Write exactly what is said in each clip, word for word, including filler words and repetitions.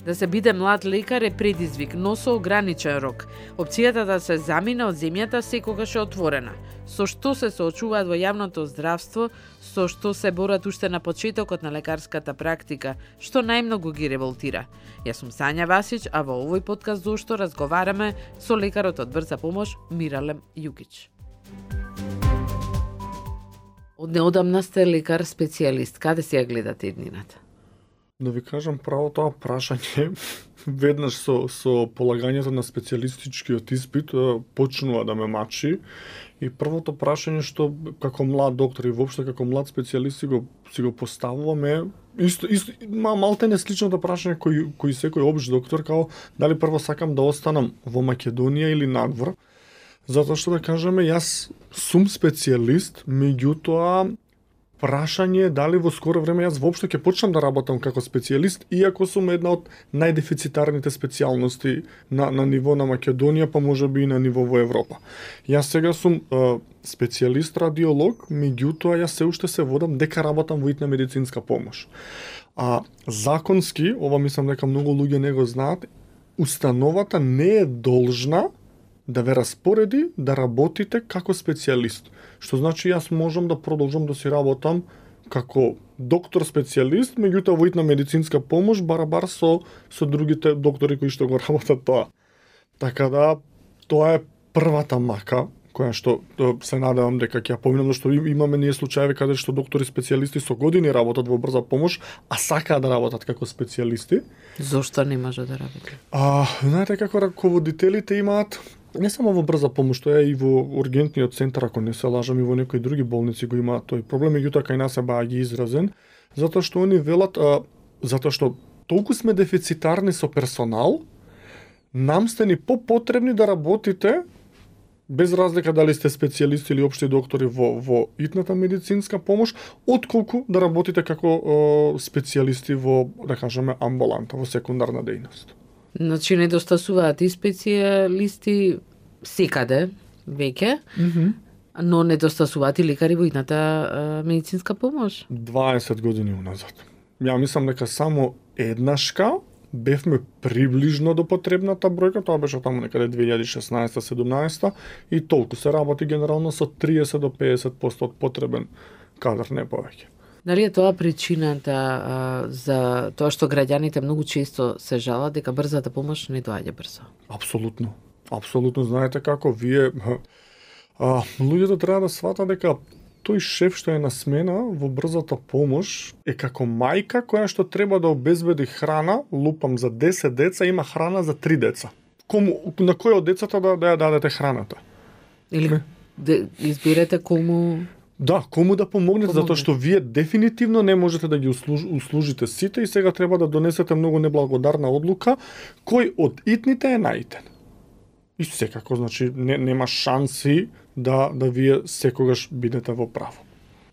Да се биде млад лекар е предизвик, но со ограничен рок. Опцијата да се замине од земјата секогаш е отворена. Со што се соочуваат во јавното здравство, со што се борат уште на почетокот на лекарската практика, што најмногу ги револтира. Јас сум Сања Васич, а во овој подкаст зошто разговараме со лекарот од Брза помош Миралем Јукич. Од неодамна сте лекар специјалист. Каде си ја гледате иднината? Да ви кажам право, тоа прашање веднаш со, со полагањето на специјалистичкиот испит почнува да ме мачи. И првото прашање што како млад доктор и воопшто како млад специјалист си го, си го поставуваме, исто, исто, малте не сличното прашање кој, кој секој општ доктор, као дали прво сакам да останам во Македонија или надвор. Затоа што да кажеме, јас сум специјалист, меѓутоа прашање е дали во скоро време јас воопшто ќе почнам да работам како специјалист, иако сум една од најдефицитарните специјалности на, на ниво на Македонија, па можеби и на ниво во Европа. Јас сега сум е, специјалист радиолог, меѓутоа јас се уште се водам дека работам во итна медицинска помош. А законски, ова мислам дека многу луѓе не го знаат, установата не е должна да ве распореди да работите како специјалист. Што значи јас можам да продолжам да си работам како доктор специјалист, меѓутоа во итна медицинска помош барабар со со другите доктори кои што го работат тоа. Така да тоа е првата мака која што се надевам дека ќе ја поминам, зашто имаме ние случаи каде што доктори специјалисти со години работат во брза помош, а сакаат да работат како специјалисти. Зошто не може да работи? А, знаете како раководителите имаат не само во брза помош, тоа е и во ургентниот центар, ако не се лажам, и во некои други болници го имаат тој проблем, меѓутоа кај нас е баги изразен, затоа што они велат, а, затоа што толку сме дефицитарни со персонал, нам сте ни попотребни да работите без разлика дали сте специјалисти или општи доктори во во итната медицинска помош, отколку да работите како о, специјалисти во, да кажеме, амбуланта, во секундарна дејност. Значи недостасуваат и специјалисти секаде веќе, Mm-hmm. но недостасуваат и лекари во итната а, медицинска помош. дваесет години уназад. Ја мислам дека само еднашка бевме приближно до потребната бројка, тоа беше таму некаде две илјади и шеснаесета седумнаесета и толку се работи генерално со триесет до педесет проценти од потребен кадар, не повеќе. Дали е тоа причината а, за тоа што граѓаните многу често се жалат дека брзата помош не доаѓа брзо? Апсолутно. Апсолутно, знаете како вие а, луѓето треба да сватат дека тој шеф што е на смена во брзата помош е како мајка која што треба да обезбеди храна, лупам за десет деца, има храна за три деца. Кому, на кој од децата да, да ја дадете храната? Или де, изберете кому... Да, кому да помогнете, Помогне. затоа што вие дефинитивно не можете да ги услуж, услужите сите и сега треба да донесете многу неблагодарна одлука, кој од итните е наитен. И секако, значи, не, нема шанси да, да вие секогаш бидете во право.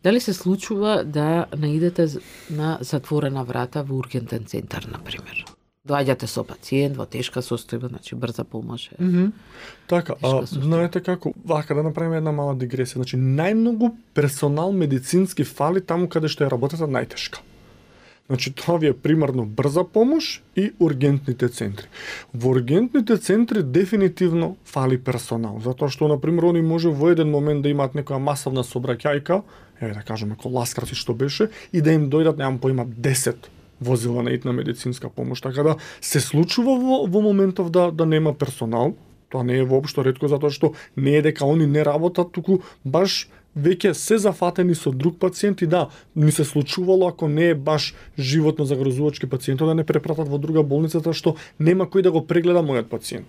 Дали се случува да наидете на затворена врата во ургентен центар, например? Доаѓате со пациент во тешка состојба, значи брза помош е. Mm-hmm. Така, а, состојба. знаете како, вака да направиме една мала дигресија, значи најмногу персонал медицински фали таму каде што е работата најтешка. Значи тоа ви е примарно брза помош и ургентните центри. Во ургентните центри дефинитивно фали персонал, затоа што на пример они може во еден момент да имаат некоја масовна сообраќајка, еве да кажеме коласкарци што беше, и да им дојдат, немам поима, десет возила на итна медицинска помош, така да се случува во, во моментов да да нема персонал. Тоа не е воопшто ретко, затоа што не е дека они не работат, туку баш веќе се зафатени со друг пациент и да, ни се случувало ако не е баш животно загрозувачки пациентот да не препратат во друга болница, затоа што нема кој да го прегледа мојот пациент.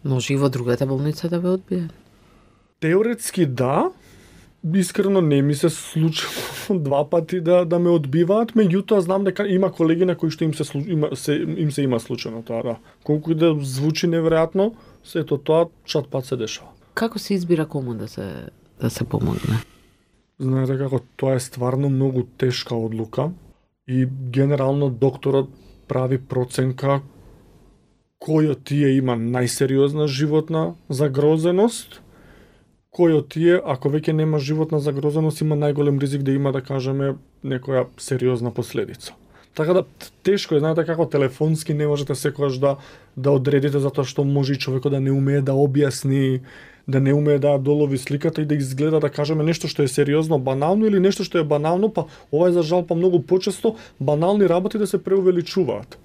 Може и во другата болница да ве одбие? Теоретски да, искрено не ми се случило два пати да да ме одбиваат, меѓутоа знам дека има колеги на кои што им се има се им се има случено тоа, да. Колку и да звучи неверојатно, сето тоа чат пат се дешава. Како се избира кому да се да се помогне? Знаете како тоа е стварно многу тешка одлука и генерално докторот прави проценка кој од тие има најсериозна животна загрозеност, кој од тие, ако веќе нема животна загрозеност, има најголем ризик да има, да кажеме, некоја сериозна последица. Така да тешко е, знаете како телефонски не можете секогаш да да одредите затоа што може и човекот да не умее да објасни, да не умее да долови сликата и да изгледа да кажеме нешто што е сериозно банално или нешто што е банално, па ова е за жал па многу почесто банални работи да се преувеличуваат.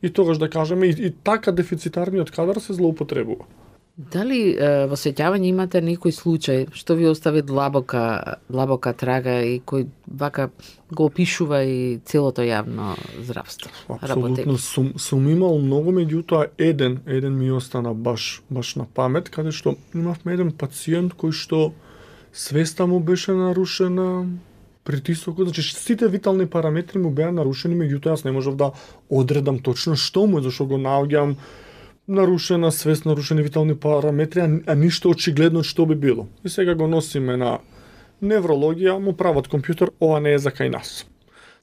И тогаш да кажеме и, и така дефицитарниот кадар се злоупотребува. Дали е, во сеќавање имате некој случај што ви остави длабока, длабока трага и кој вака го опишува и целото јавно здравство? Апсолутно сум, сум имал многу, меѓутоа еден, еден ми остана баш баш на памет, каде што имавме еден пациент кој што свеста му беше нарушена, притисокот, значи сите витални параметри му беа нарушени, меѓутоа јас не можев да одредам точно што му е, зашто го наоѓам нарушена свест, нарушени витални параметри, а, а ништо очигледно што би било. И сега го носиме на неврологија, му прават компјутер, ова не е за кај нас.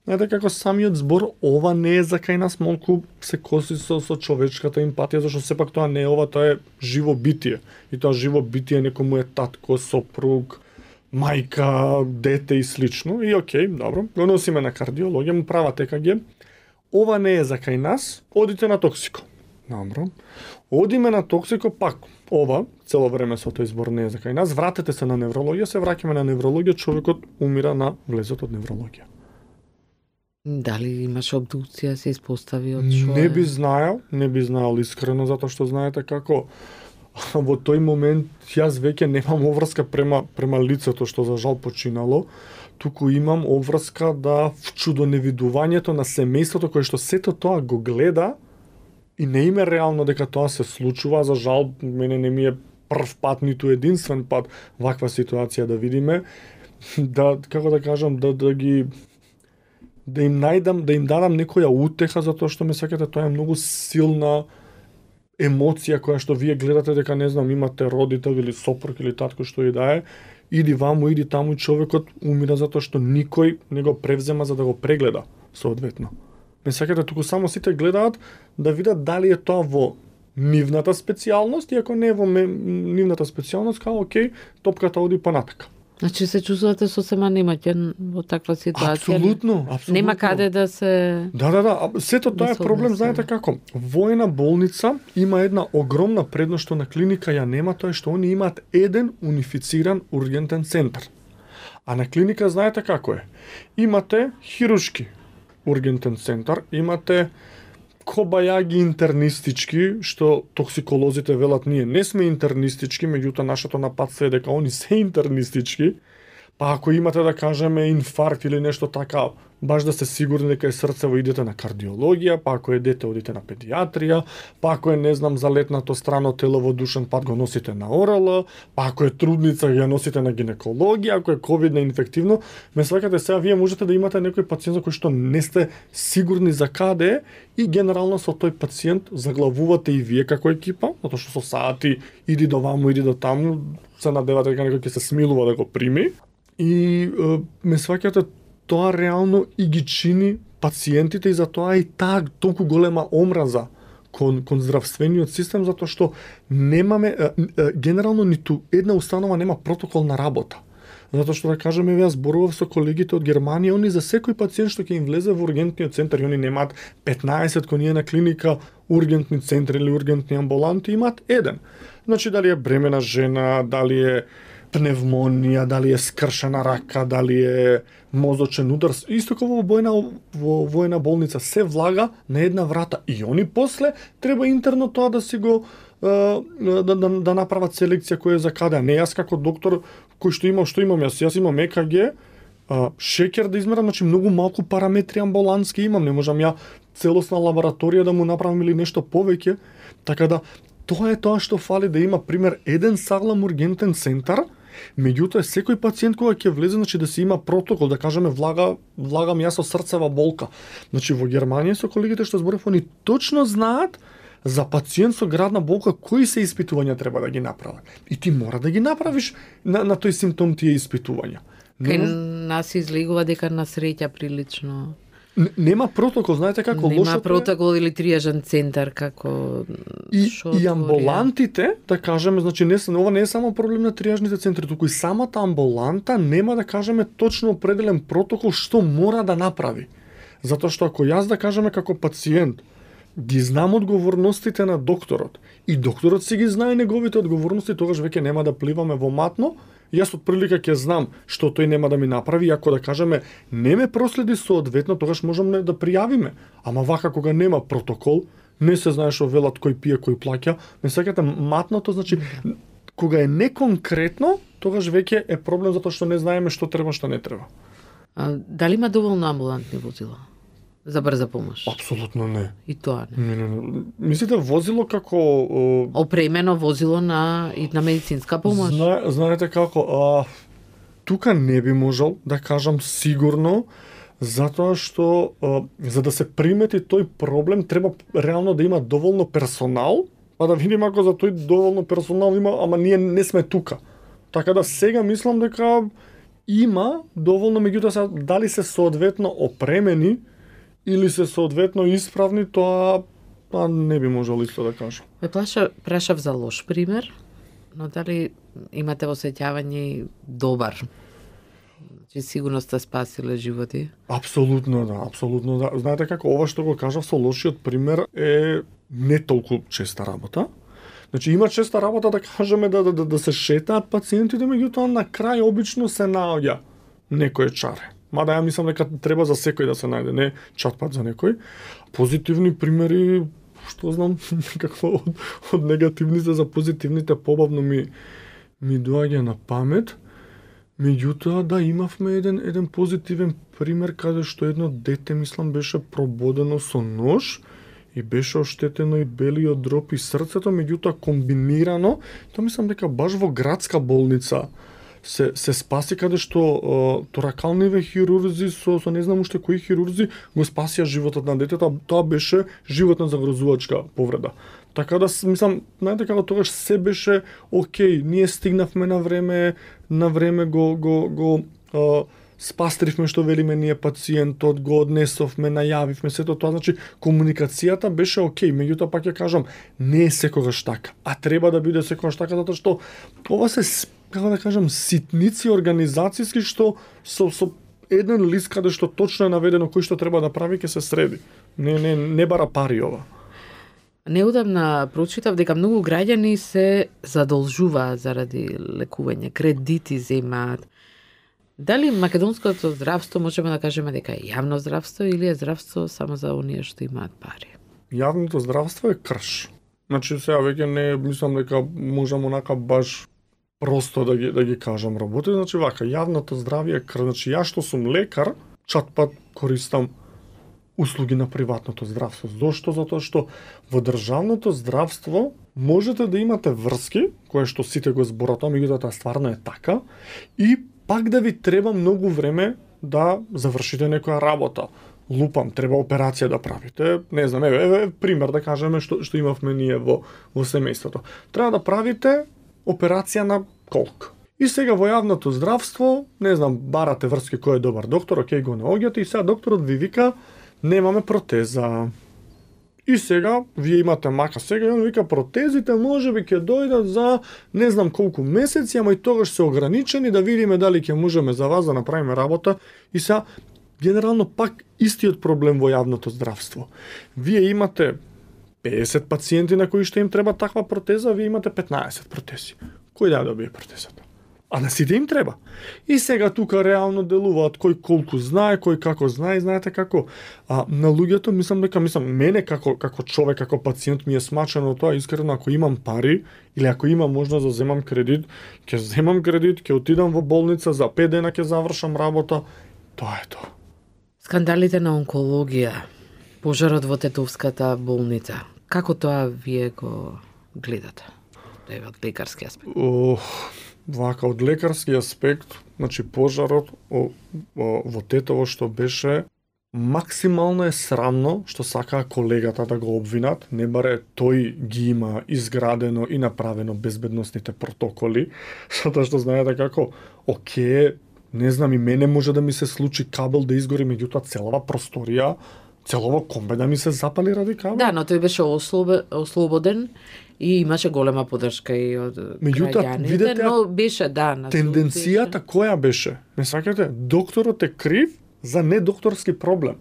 Знаете како самиот збор ова не е за кај нас малку се коси со, со човечката емпатија, зашто сепак тоа не е ова, тоа е живо битие. И тоа живо битие некому е татко, сопруг, мајка, дете и слично. И окей, добро, го носиме на кардиологија, му прават е ка ге. Ова не е за кај нас, одите на токсико. Добро. Одиме на токсико, пак ова, цело време со тој збор не е за кај нас, вратете се на неврологија, се враќаме на неврологија, човекот умира на влезот од неврологија. Дали имаше обдукција, се испостави од што Не би знаел, не би знаел искрено, затоа што знаете како во тој момент јас веќе немам обврска према према лицето што за жал починало, туку имам обврска да вчудоневидувањето на семејството кое што сето тоа го гледа и не име реално дека тоа се случува, за жал мене не ми е прв пат ниту единствен пат ваква ситуација да видиме, да како да кажам да да ги да им најдам, да им дадам некоја утеха затоа што ме сеќате, тоа е многу силна емоција која што вие гледате дека не знам имате родител или сопруг или татко што и да е, иди ваму, иди таму, човекот умира затоа што никој не го превзема за да го прегледа соодветно. Ме сакате, туку само сите гледаат да видат дали е тоа во нивната специјалност, и ако не е во нивната специјалност, као окей, топката оди понатака. Значи се чувствувате сосема немаќен во таква ситуација? Апсолутно, апсолутно. Нема каде да се... Да, да, да. Сето тоа е проблем, знаете како? Во една болница има една огромна предност што на клиника ја нема, тоа е што они имаат еден унифициран ургентен центар. А на клиника знаете како е? Имате хирушки ургентен центар, имате кобајаги интернистички, што токсиколозите велат ние не сме интернистички, меѓутоа нашето нападство е дека они се интернистички, па ако имате да кажеме инфаркт или нешто така, баш да сте сигурни дека е срцево, идете на кардиологија, па ако е дете одите на педиатрија, па ако е не знам залетнато страно тело во душен пат го носите на ОРЛ, па ако е трудница ја носите на гинекологија, ако е ковидно инфективно, ме сваќате сега вие можете да имате некој пациент за кој што не сте сигурни за каде и генерално со тој пациент заглавувате и вие како екипа, затоа што со сати иди до ваму, иди до таму, се надевате дека некој ќе се смилува да го прими и е, ме сваќате тоа реално и ги чини пациентите и затоа и таа толку голема омраза кон, кон здравствениот систем, затоа што немаме, е, е, генерално ниту една установа нема протокол на работа. Затоа што да кажеме, ја зборував со колегите од Германија, они за секој пациент што ќе им влезе во ургентниот центар, и они немаат петнаесет кој ние на клиника ургентни центри или ургентни амбуланти, имаат еден. Значи дали е бремена жена, дали е пневмонија, дали е скршена рака, дали е мозочен удар, исто како во војна во војна болница се влага на една врата и они после треба интерно тоа да си го да, да, да направат селекција која е за каде, а не јас како доктор кој што имам, што имам јас, јас имам е ка ге, а, шеќер да измерам, значи многу малку параметри амбулански имам, не можам ја целосна лабораторија да му направам или нешто повеќе, така да тоа е тоа што фали, да има пример еден саглам ургентен центар. Меѓутоа секој пациент кога ќе влезе, значи да се има протокол, да кажеме влага влагам јас со срцева болка. Значи во Германија со колегите што зборев, они точно знаат за пациент со градна болка кои се испитувања треба да ги направат. И ти мора да ги направиш на, на тој симптом тие испитувања. Кај нас излегува дека на среќа прилично нема протокол, знаете како нема лошото Нема протокол или триажен центар како и, и амбулантите, да кажеме, значи не ова не е само проблем на триажните центри, туку и самата амбуланта нема да кажеме точно определен протокол што мора да направи. Затоа што ако јас да кажеме како пациент ги знам одговорностите на докторот и докторот си ги знае неговите одговорности, тогаш веќе нема да пливаме во матно. Јас од прилика ќе знам што тој нема да ми направи, и ако да кажеме не ме проследи соодветно, тогаш можеме да пријавиме. Ама вака кога нема протокол, не се знае што велат кој пие, кој плаќа, ме сеќате матното, значи кога е неконкретно, тогаш веќе е проблем затоа што не знаеме што треба, што не треба. А, дали има доволно амбулантни возила за брза помош? Апсолутно не. И тоа не. Не, не, не. Мислите возило како опремено возило на и на медицинска помош? Зна, знаете како, а, тука не би можел да кажам сигурно, затоа што а, за да се примети тој проблем треба реално да има доволно персонал, па да видиме ако за тој доволно персонал има, ама ние не сме тука. Така да сега мислам дека има доволно, меѓутоа се дали се соодветно опремени или се соодветно исправни, тоа па не би можел исто да кажам. Ме плаша, прашав за лош пример, но дали имате осеќавање добар? Че сигурно сте спасиле животи? Апсолутно да, апсолутно да. Знаете како, ова што го кажав со лошиот пример е не толку честа работа. Значи има честа работа да кажеме да, да, да се шетаат пациентите, меѓутоа на крај обично се наоѓа некој чаре. Мада ја мислам дека треба за секој да се најде, не чатпат за некој. Позитивни примери, што знам, некако од, од негативните за позитивните побавно ми ми доаѓа на памет. Меѓутоа да имавме еден еден позитивен пример каде што едно дете мислам беше прободено со нож и беше оштетено и белиот дроб и срцето, меѓутоа комбинирано, тоа мислам дека баш во градска болница се се спаси, каде што uh, торакалниве хирурзи со со не знам уште кои хирурзи го спасија животот на детето, тоа беше животна загрозувачка повреда. Така да мислам, знаете како тогаш се беше окей, ние стигнавме на време, на време го го го uh, спастривме што велиме ние пациентот, го однесовме, најавивме сето тоа, значи комуникацијата беше окей, меѓутоа пак ќе кажам, не е секогаш така, а треба да биде секогаш така затоа што ова се, како да кажам, ситници организацијски што со со еден лист каде што точно е наведено кој што треба да прави ќе се среди. Не не не бара пари ова. Неудамна прочитав дека многу граѓани се задолжуваат заради лекување, кредити земаат. Дали македонското здравство можеме да кажеме дека е јавно здравство или е здравство само за оние што имаат пари? Јавното здравство е крш. Значи сега веќе не мислам дека можам онака баш просто да ги да ги кажам работи, значи вака јавното здравје е крш. Значи јас што сум лекар, чатпат користам услуги на приватното здравство. Зошто? Затоа што во државното здравство можете да имате врски, кое што сите го зборат, меѓутоа тоа стварно е така, и пак да ви треба многу време да завршите некоја работа. Лупам, треба операција да правите. Не знам, еве, еве пример да кажеме што што имавме ние во во семејството. Треба да правите операција на колк. И сега во јавното здравство, не знам, барате врски кој е добар доктор, окей, го наоѓате и сега докторот ви вика немаме протеза. И сега, вие имате мака сега, и он вика, протезите може би ќе дојдат за не знам колку месеци, ама и тогаш се ограничени, да видиме дали ќе можеме за вас да направиме работа. И сега, генерално пак истиот проблем во јавното здравство. Вие имате педесет пациенти на кои што им треба таква протеза, вие имате петнаесет протези. Кој да добие протезата? А на сите им треба. И сега тука реално делуваат кој колку знае, кој како знае, знаете како. А на луѓето мислам дека мислам мене како како човек, како пациент ми е смачено тоа, искрено ако имам пари или ако имам можност да земам кредит, ќе земам кредит, ќе отидам во болница, за пет дена ќе завршам работа. Тоа е тоа. Скандалите на онкологија, пожарот во Тетовската болница. Како тоа вие го гледате? Еве од лекарски аспект. Ох, вака од лекарски аспект, значи пожарот о, о, во Тетово што беше максимално е срамно што сакаа колегата да го обвинат, не баре тој ги има изградено и направено безбедносните протоколи, затоа што знаете како, оке, не знам, и мене може да ми се случи кабел да изгори, меѓутоа целава просторија, целово комбе да ми се запали ради кабел. Да, но тој беше ослобе, ослободен и имаше голема поддршка и од граѓаните, но беше, да, на тенденцијата која беше? Не сакате, докторот е крив за недокторски проблем.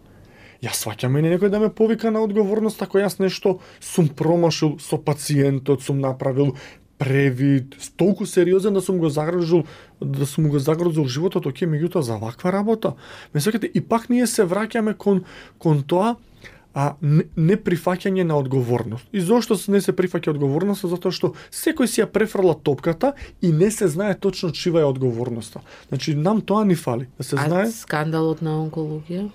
Јас сваќам мене некој да ме повика на одговорност ако јас нешто сум промашил со пациентот, сум направил превид, толку сериозен да сум го загрозил, да сум го загрозил животот, оке, меѓутоа за ваква работа. Ме сакате, и пак ние се враќаме кон кон тоа, а не, не прифаќање на одговорност. И зошто не се прифаќа одговорност? Затоа што секој си ја префрла топката и не се знае точно чива е одговорноста. Значи нам тоа ни фали, да се а знае. А скандалот на онкологија?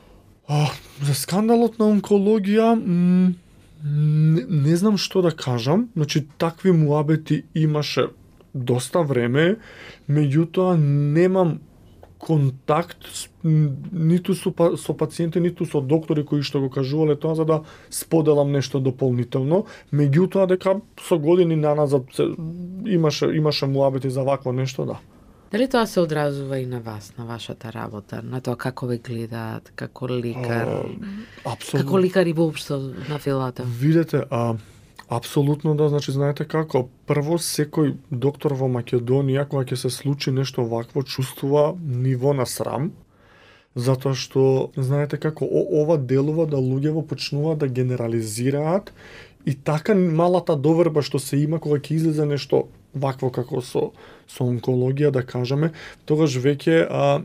А, за скандалот на онкологија, м, не, не знам што да кажам. Значи такви муабети имаше доста време, меѓутоа немам контакт ниту со, со пациенти, ниту со доктори кои што го кажувале тоа за да споделам нешто дополнително. Меѓутоа дека со години наназад се, имаше имаше муабети за вакво нешто, да. Дали тоа се одразува и на вас, на вашата работа, на тоа како ве гледаат, како лекар? А, апсолутно. Како лекар и воопшто на филата? Видете, а апсолутно да, значи знаете како, прво секој доктор во Македонија кога ќе се случи нешто вакво чувствува ниво на срам, затоа што знаете како о, ова делува да луѓево почнуваат да генерализираат и така малата доверба што се има кога ќе излезе нешто вакво како со со онкологија, да кажеме, тогаш веќе а,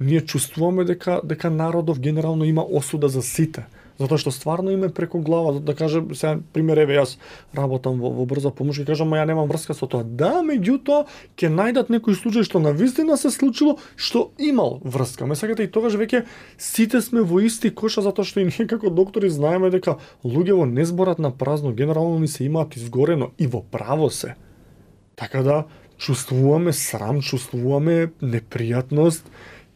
ние чувствуваме дека дека народов генерално има осуда за сите. Затоа што стварно име преку глава, да кажем, сега пример, еве јас работам во, во брза помош и кажам, ма ја немам врска со тоа. Да, меѓутоа ќе најдат некој случај што навистина се случило, што имал врска. Ме сакате, и тогаш веќе сите сме во исти коша, затоа што и ние како доктори знаеме дека луѓево не зборат на празно, генерално ни се имаат изгорено и во право се. Така да чувствуваме срам, чувствуваме непријатност.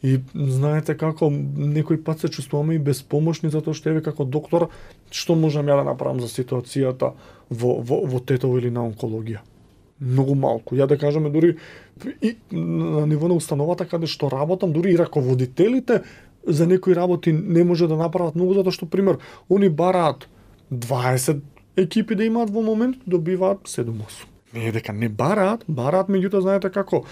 И знаете како, некој пат се чувствуваме и безпомошни, затоа што еве како доктор, што можам ја да направам за ситуацијата во, во, во тетово или на онкологија? Многу малку. Ја да кажеме, дури и на ниво на установата каде што работам, дури и раководителите за некои работи не може да направат многу, затоа што, пример, они бараат дваесет екипи да имаат во момент, добиваат седум-осум. Не дека не бараат, бараат, меѓутоа знаете како,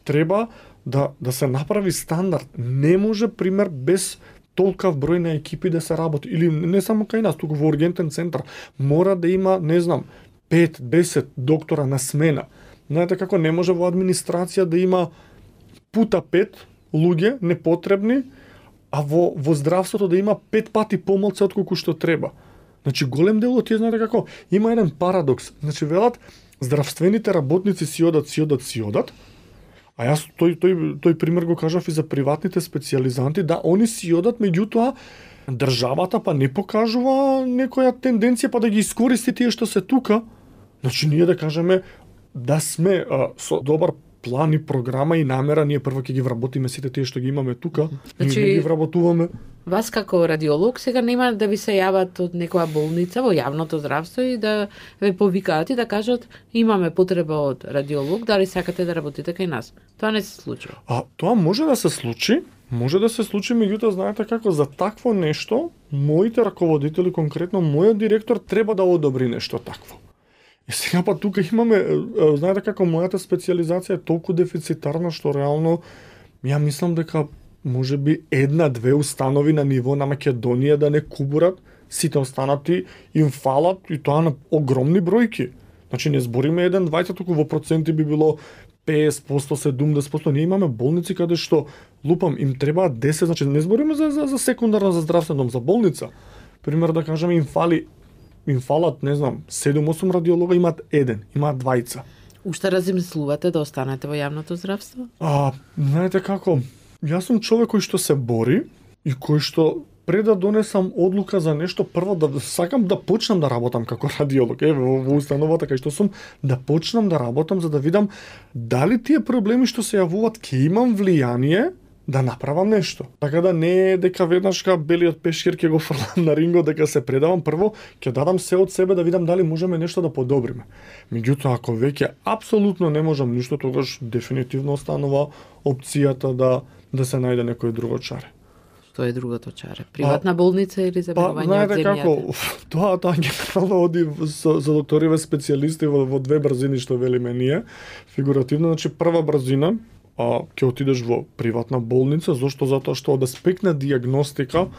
треба да да се направи стандард. Не може, пример, без толкав број на екипи да се работи, или не само кај нас, туку во ургентен центар мора да има, не знам, пет десет доктора на смена. Знаете како, не може во администрација да има пута пет луѓе непотребни, а во во здравството да има пет пати помалку отколку што треба. Значи голем дел од тие, знаете како, има еден парадокс. Значи велат здравствените работници си одат, си одат, си одат. А јас тој тој тој пример го кажав и за приватните специјализанти, да они си одат, меѓутоа државата па не покажува некоја тенденција па да ги искористи тие што се тука. Значи ние да кажеме да сме а, со добар план и програма и намера, ние прво ќе ги вработиме сите тие што ги имаме тука, значи, ние ги вработуваме. Вас како радиолог сега нема да ви се јават од некоја болница во јавното здравство и да ве повикаат и да кажат имаме потреба од радиолог, дали сакате да работите кај нас. Тоа не се случува. А тоа може да се случи, може да се случи, меѓутоа знаете како, за такво нешто моите раководители, конкретно мојот директор, треба да одобри нешто такво. И сега па тука имаме, знаете како, мојата специјализација е толку дефицитарна што реално ја мислам дека може би една-две установи на ниво на Македонија да не кубурат, сите останати им фалат и тоа на огромни бројки. Значи не збориме еден-двајца, туку во проценти би било песет проценти, седумдесет проценти. Ние имаме болници каде што лупам им требаат десет, значи не збориме за за, за секундарна за здравствен дом, за болница. Пример да кажеме им фали им фалат, не знам, седум-осум радиолога, имаат еден, имаат двајца. Уште размислувате да останете во јавното здравство? А, знаете како, јас сум човек кој што се бори и кој што пред да донесам одлука за нешто, прво да сакам да почнам да работам како радиолог, еве во, во установата кај што сум, да почнам да работам за да видам дали тие проблеми што се јавуваат ќе имам влијание да направам нешто. Така да не е дека веднаш ка белиот пешкир ќе го фрлам на рингот дека се предавам, прво ќе дадам се од себе да видам дали можеме нешто да подобриме. Меѓутоа ако веќе апсолутно не можам ништо, тогаш дефинитивно останува опцијата да да се најде некој друго чаре. Што е другото чаре? Приватна а, болница или забавување па, од земјата? Како, тоа тоа генерално оди за, за докториве специјалисти во, во две брзини што велиме ние, фигуративно, значи прва брзина а ќе отидеш во приватна болница, зошто? Затоа што од аспект на дијагностика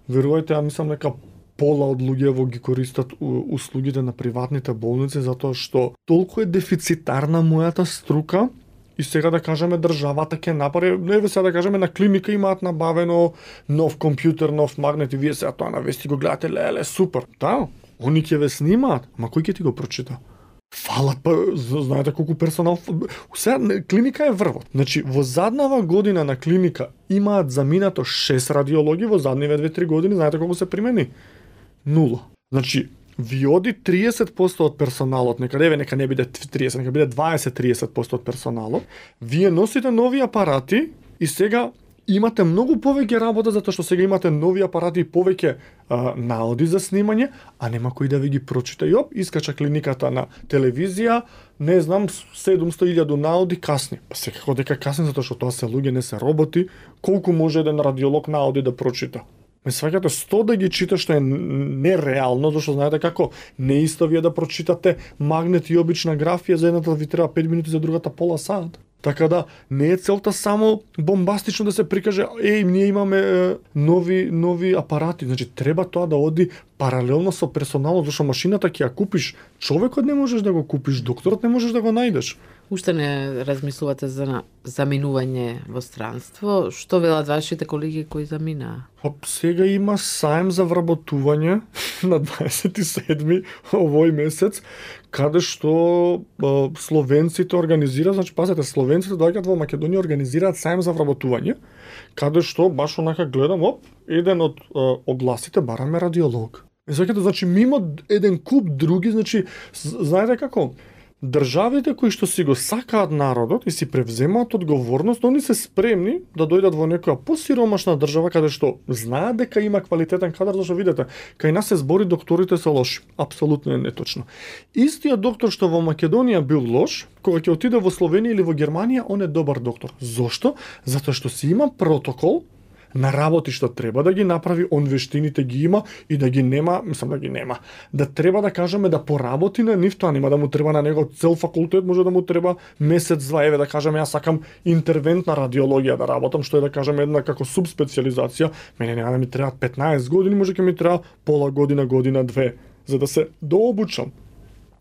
Верувајте, ја мислам дека пола од луѓево ги користат услугите на приватните болници затоа што толку е дефицитарна мојата струка и сега да кажеме државата ќе направи, не сега да кажеме на клиника имаат набавено нов компјутер, нов магнет и вие сега тоа на вести го гледате, леле, супер. Да, они ќе ве снимаат, ама кој ќе ти го прочита? Фалат, па, знаете колку персонал... Сега, клиника е врвот. Значи, во заднава година на клиника имаат заминато шест радиологи, во задниве две-три години, знаете колку се примени? Нула. Значи, ви оди триесет проценти од персоналот, нека не, нека не биде триесет, нека биде дваесет до триесет проценти од персоналот, вие носите нови апарати и сега имате многу повеќе работа затоа што сега имате нови апарати и повеќе а, наоди за снимање, а нема кој да ви ги прочита. И оп, искача клиниката на телевизија, не знам, седумсто илјади наоди касни. Па секако дека касни затоа што тоа се луѓе, не се роботи, колку може еден радиолог наоди да прочита? Ме сваќате сто да ги чита, што е нереално, зашто знаете како не исто вие да прочитате магнет и обична графија, за едната ви треба пет минути, за другата пола сат. Така да не е целта само бомбастично да се прикаже, еј, ние имаме е, нови нови апарати, значи треба тоа да оди паралелно со персоналот, зашто машината ќе ја купиш, човекот не можеш да го купиш, докторот не можеш да го најдеш. Уште не размислувате за заминување во странство? Што велат вашите колеги кои заминаа? Па сега има саем за вработување на дваесет и седми овој месец, каде што а, словенците организираат, значи пазете, словенците доаѓаат во Македонија, организираат саем за вработување, каде што баш онака гледам, оп, еден од а, огласите бараме радиолог. И сакате, значи мимо еден куп други, значи знаете како? Државите кои што си го сакаат народот и си превземаат одговорност, они се спремни да дојдат во некоја посиромашна држава каде што знаат дека има квалитетен кадар, зашто видите, кај нас се збори докторите се лоши. Апсолутно е неточно. Истиот доктор што во Македонија бил лош, кога ќе отиде во Словенија или во Германија, он е добар доктор. Зошто? Затоа што си има протокол на работи што треба да ги направи, он вештините ги има и да ги нема, мислам да ги нема. Да треба да кажеме да поработи на нив, тоа нема да му треба на него цел факултет, може да му треба месец два, еве да кажеме јас сакам интервентна радиологија да работам, што е да кажеме една како субспециализација, мене нема да ми треба петнаесет години, може ќе ми треба пола година, година, две, за да се дообучам.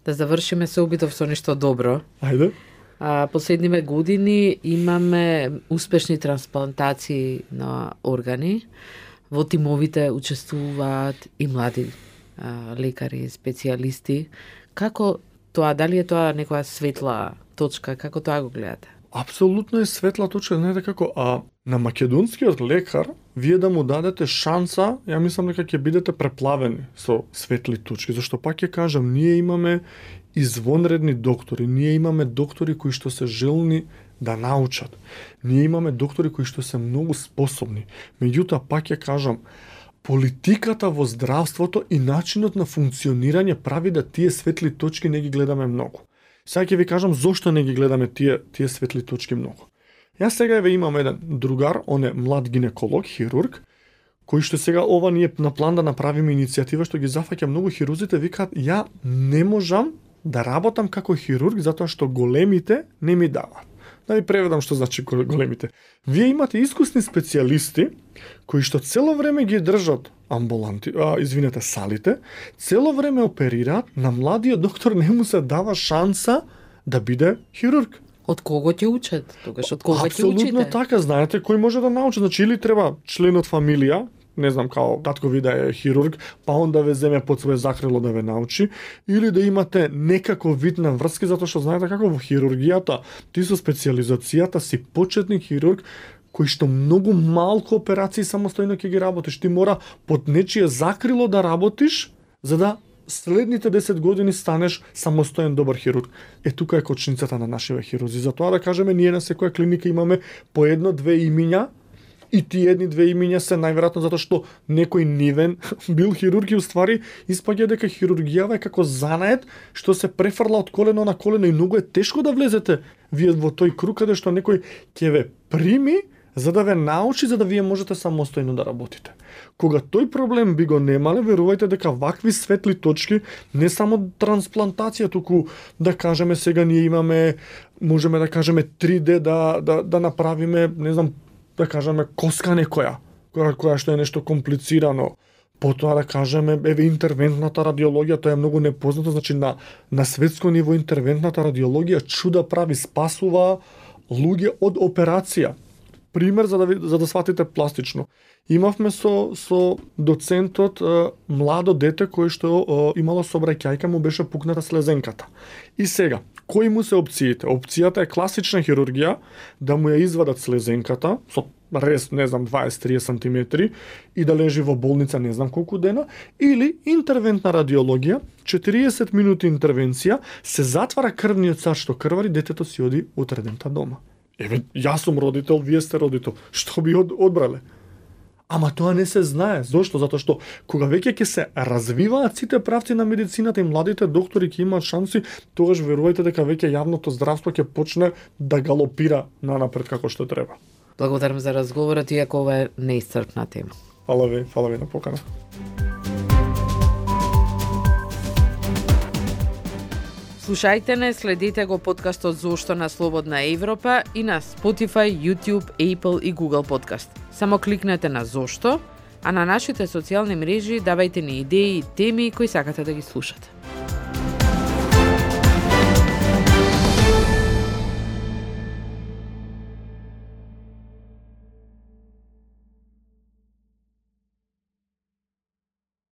Да завршиме се обидов со нешто добро. Ајде. А, последниве години имаме успешни трансплантации на органи. Во тимовите учествуваат и млади а, лекари, специјалисти. Како тоа, дали е тоа некоја светла точка, како тоа го гледате? Апсолутно е светла точка, знаете како, а на македонскиот лекар вие да му дадете шанса, ја мислам дека ќе бидете преплавени со светли точки, зашто пак ќе кажам, ние имаме извонредни доктори, ние имаме доктори кои што се желни да научат. Ние имаме доктори кои што се многу способни. Меѓутоа пак ќе кажам, политиката во здравството и начинот на функционирање прави да тие светли точки не ги гледаме многу. Сега ќе ви кажам зошто не ги гледаме тие тие светли точки многу. Јас сега еве имам еден другар, он е млад гинеколог, хирург, кој што сега ова ние на план да направиме иницијатива што ги зафаќа многу хирурзите, викаат ја не можам да работам како хирург затоа што големите не ми даваат. Да ви преведам што значи големите. Вие имате искусни специјалисти кои што цело време ги држат амбуланти, а, извинете, салите, цело време оперираат, на младиот доктор не му се дава шанса да биде хирург. Од кого ќе учат? Тогаш од кого ќе учите? Апсолутно така, знаете, кој може да научи, значи или треба член од фамилија, не знам, као татко ви да е хирург, па он да ве земе под свое закрило да ве научи, или да имате некаков вид на врски, затоа што знаете како во хирургијата, ти со специјализацијата си почетник хирург, кој што многу малку операции самостојно ќе ги работиш. Ти мора под нечие закрило да работиш, за да следните десет години станеш самостоен добар хирург. Е, тука е кочницата на нашите хирурзи. Затоа да кажеме, ние на секоја клиника имаме по едно-две имиња, и тие едни-две имиња се најверојатно затоа што некој нивен бил хирург и уствари испаѓа дека хирургијава е како занает што се префрла од колено на колено и многу е тешко да влезете вие во тој круг каде што некој ќе ве прими за да ве научи, за да вие можете самостојно да работите. Кога тој проблем би го немале, верувајте дека вакви светли точки, не само трансплантација, туку да кажеме сега ние имаме, можеме да кажеме три Д да да да направиме, не знам, да кажеме коска некоја, која, која што е нешто комплицирано. Потоа да кажеме, еве интервентната радиологија, тоа е многу непознато, значи на на светско ниво интервентната радиологија чуда прави, спасува луѓе од операција. Пример за да ви, за да сватите пластично. Имавме со со доцентот е, младо дете кој што е, имало сообраќајка, му беше пукната слезенката. И сега, кои му се опциите? Опцијата е класична хирургија, да му ја извадат слезенката со рез, не знам, дваесет до триесет сантиметри и да лежи во болница не знам колку дена, или интервентна радиологија, четириесет минути интервенција, се затвара крвниот сад што крвари, детето си оди утредента дома. Еве, јас сум родител, вие сте родител, што би од, одбрале? Ама тоа не се знае. Зошто? Затоа што кога веќе ќе се развиваат сите правци на медицината и младите доктори ќе имаат шанси, тогаш верувајте дека веќе јавното здравство ќе почне да галопира нанапред како што треба. Благодарам за разговорот, иако ова е неисцрпна тема. Фала ви, фала ви на покана. Слушајте не, следете го подкастот Зошто на Слободна Европа и на Spotify, YouTube, Apple и Google Podcast. Само кликнете на Зошто, а на нашите социјални мрежи давајте ни идеи и теми кои сакате да ги слушате.